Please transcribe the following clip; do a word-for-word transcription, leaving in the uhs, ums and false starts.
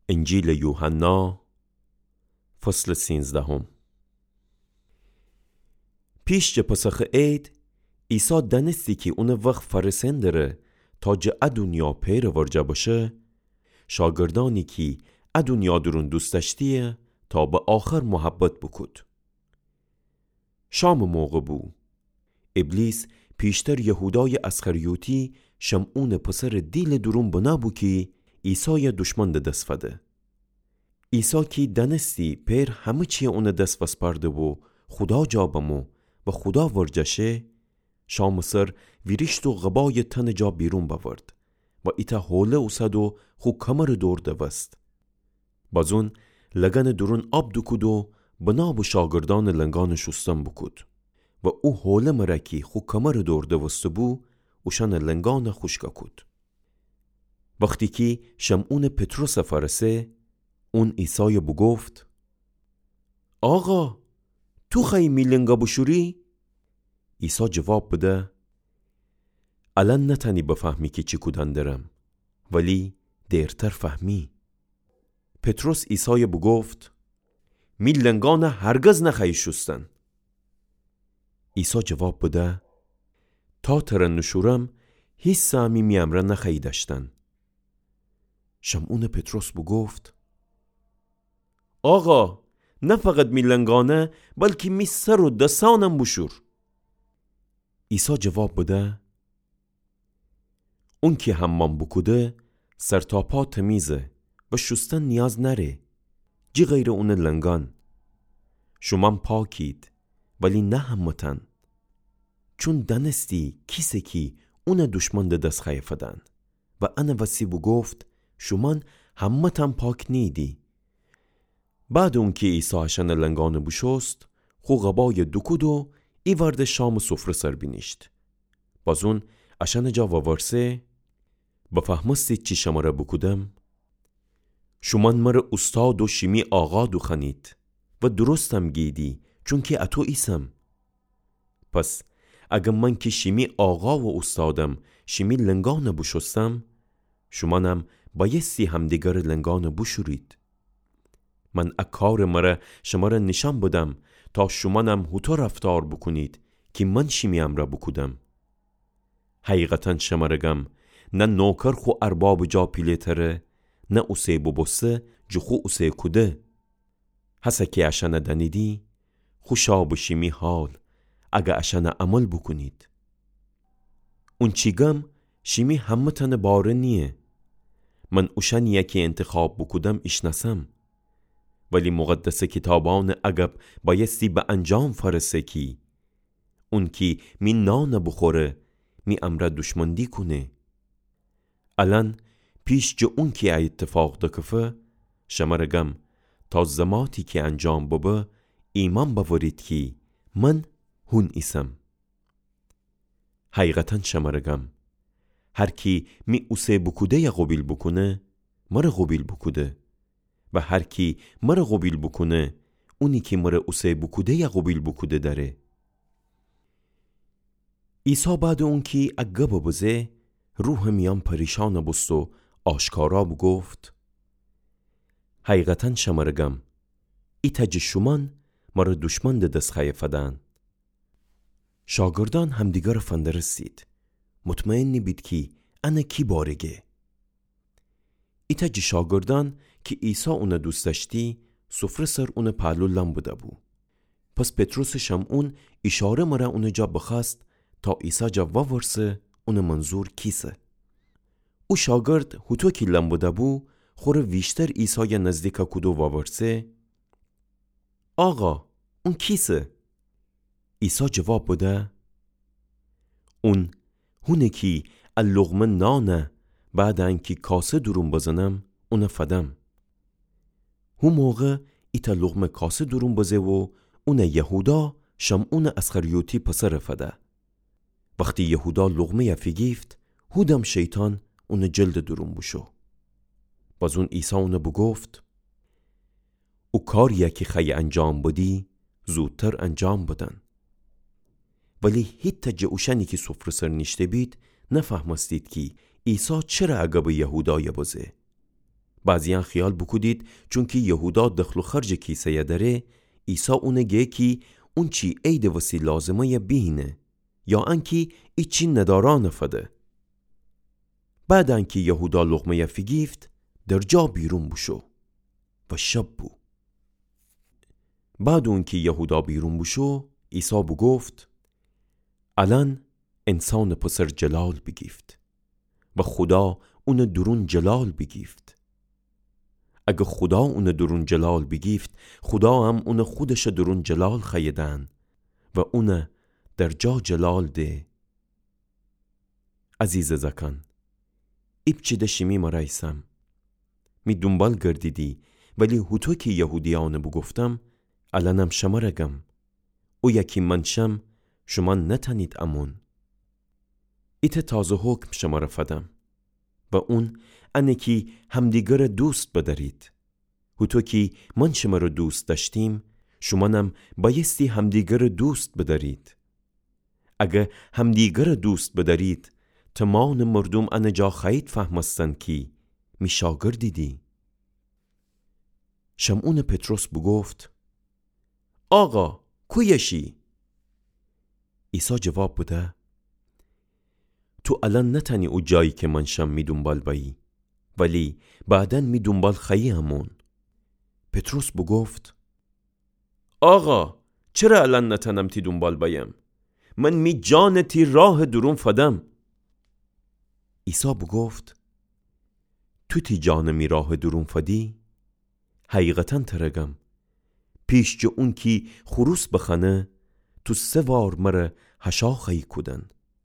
انجیلٚ یوحنا، فصلٚ سینزدهم. پیش جٚه پسخٚ عید، عیسی دأنستی کی اونٚ وخت فأرسئن دره تا جٚه ا دونیا پئرٚ ورجه بشه، شاگردأنی کی ا دونیا دورون دوست دأشتی‌یه تا به آخر محبت بوکود. شامٚ موقع بو. ابلیس پیشتر یهودایٚ اسخریوطی، شمعونٚ پسرٚ دیلٚ دورون بنه بو کی عیسای دوشمن ده دس فده. عیسی کی دأنستی پئر همه چی اونٚ دس وسپأرده و خودا جا بمو و خودا ورجه شه، شامٚ سر ویریشت و قبای تنٚ جا بیرون بأورد و ایتأ حوله اوسد و خو کمرٚ دور دوست. بازون لگنٚ دورون آب دوکود و بنه بو شاگردأنٚ لنگأنٚ شوستن بوکود و او حوله مره کی خو کمرٚ دور دوسته بو، اوشأنٚ لنگأن خوشک کود. وختی کی شمعونٚ پطرس فأرسه، اون عیسای بوگفت: آقا، تو خوأیی می لنگا بوشوری؟ عیسی جواب بده: الأن نتأنی بفهمی کی چی کودن درم، ولی دیرتر فهمی. پطرس عیسای بوگفت: می لنگأن هرگز نخوأیی شوستن. عیسی جواب بده: تا تره نوشورم، هیسه امی می امرأ نخوأیی دأشتن. شمعونٚ پطرس بوگفت: آقا، نه فقط می لنگأنه، بلکی می سر و دسأنم بوشور. عیسی جواب بده: اونکی حمام بوکوده، سر تا پا تمیزه و شوستن نیاز نأره، جی غیرٚ اونٚ لنگأن. شومأن پاکید، ولی نه همه‌تأن. چون دأنستی کیسه کی اونٚ دوشمن ده دس خوأیه فدن و انٚ وسی بوگفت: شومأن همه‌تأن پاک نیییدی. بعدٚ اونکی عیسی اشأنٚ لنگأنٚ بوشوست، خو قبای دوکود و ایوأرده شامٚ سفره سر بینیشت. بازون اشأنٚ جا وورسه: بفهمستید چی شمره بوکودم؟ شومأن مره اوستاد و شیمی آقا دوخوأنید و درستم گیدی، چونکی اطو ایسم. پس اگر من کی شیمی آقا و اوستادم، شیمی لنگأنٚ بوشوستم، شومأنم بأیستی همدیگرٚ لنگأنٚ بوشورید. من ا کارٚ مره شمره نیشأن بدم، تا شومأنم هوطو رفتار بوکونید کی من شیمی امرأ بوکودم. حقیقتا شمره گم، نه نوکر خو اربابٚ جا پیله‌تره، نه اوسه بوبوسته جٚه خو اوسه کوده. هسه کی اشأنه دأنیدی، خوشا به شیمی حال، اگر اشأنه عمل بوکونید. اونچی گم شیمی همه‌تأنٚ باره نییه. من اوشأنیی کی انتخاب بوکودم ایشنأسم. ولی مقدسٚ کیتابأنٚ اگب بأیستی به انجام فأرسه کی اونکی می نانه بوخوره، می امرأ دوشمندی کونه. الأن پیش جٚه اونکی ا ایتفاق دکفه، شمره گم، تا زماتی کی انجام ببه، ایمأن بأورید کی من هون ایسم. حقیقتا شمره گم، هر کی می اوسه بوکوده‌یه قوبیل بوکونه، مره قوبیل بوکوده. و هر کی مره قوبیل بوکونه، اونی کی مره اوسه بوکوده‌یه قوبیل بوکوده دأره. عیسی بعدٚ اونکی ا گبه بزه، روحٚ میأن پریشأن بوست و آشکارا بوگفت: حقیقتا شمره گم، ایتأ جٚه شومأن مره دوشمن ده دس خوأیه فدن. شاگردأن همدیگره فندرستید، مطمئنی بید کی انه کی باره گه. ایتأ جٚه شاگردأن کی عیسی اونه دوست دأشتی، سفره سر اونه پهلو لم بده‌بو. پس پطرسٚ شمعون ایشاره مره اونٚ جا بخوأست تا عیسی جا وورسه اونٚ منظور کیسه. او شاگرد هوطو کی لم بده‌بو، خوره ویشتر عیسای نزدیک کود و وورسه: آقا، اون کیسه؟ عیسی جواب بده: اون هونه کی ا لقمه نانه بعدٚ انکی کاسه دورون بزنم، اونه فدم. هو موقع ایتأ لقمه کاسه دورون بزه و اونه یهودا، شمعونٚ اسخریوطی پسره فده. وختی یهودا لقمه‌یه فیگیفت، هودم شیطان اونٚ جلدٚ دورون بوشو. بازون عیسی اونه بوگفت: او کاریی کی خوأیی انجام بدی، زودتر انجام بدن. ولی هیتأ جٚه اوشأنی کی سفره سر نیشته‌بید، نفهمستید کی عیسی چره ا گبٚ یهودای بزه. بعضیأن خیال بوکودید چونکی یهودا دخل و خرجٚ کیسه‌یَ دأره، عیسی اونَ گه کی اونچی عیدٚ وسی لازمه‌یَ بیهینه، یا انکی ایچی ندارأنَ فده. بعد انکی یهودا لقمه‌یَ فیگیفت، در جا بیرون بوشو و شب بو. بعد اونکی یهودا بیرون بوشو، عیسی بوگفت: الأن انسانٚ پسر جلال بیگیفت و خودا اونٚ دورون جلال بیگیفت. اگر خودا اونٚ دورون جلال بیگیفت، خودا هم اونَ خودشٚ دورون جلال خوأیه دأن و اونَ در جا جلال ده. عزیزٚ زأکأن، ایپچه ده شیمی مرأ ایسم. می دونبال گردیدی، ولی هوطو کی یهودیأنَ بوگفتم، الأنم شمرَ گم. اویه کی من شم، شومأن نتأنید امون. ایتأ تازه حکم شمرَ فدم و اون انه کی همدیگرَ دوست بدأرید. هوطو کی من شمرَ دوست دأشتیم، شومأنم بأیستی همدیگرَ دوست بدأرید. اگر همدیگرَ دوست بدأرید، تومانٚ مردوم انه جا خوأیید فهمستن کی می شاگردیدی. شمعونٚ پطرس بوگفت: آقا، کویه شی؟ عیسی جواب بده: تو الأن نتأنی او جایی کی من شم می دونبال بأیی، ولی بعداً می دونبال خوأیی امون. پطرس بوگفت: آقا، چره الأن نتأنم تی دونبال بأیم؟ من می جانَ تی راهٚ دورون فدم. عیسی بوگفت: تو تی جانَ می راهٚ دورون فدی؟ حقیقتاً ترَ گم، پیش جٚه اونکی خروس بخوأنه، تو سه وار مرَ هشا خوأیی کودن.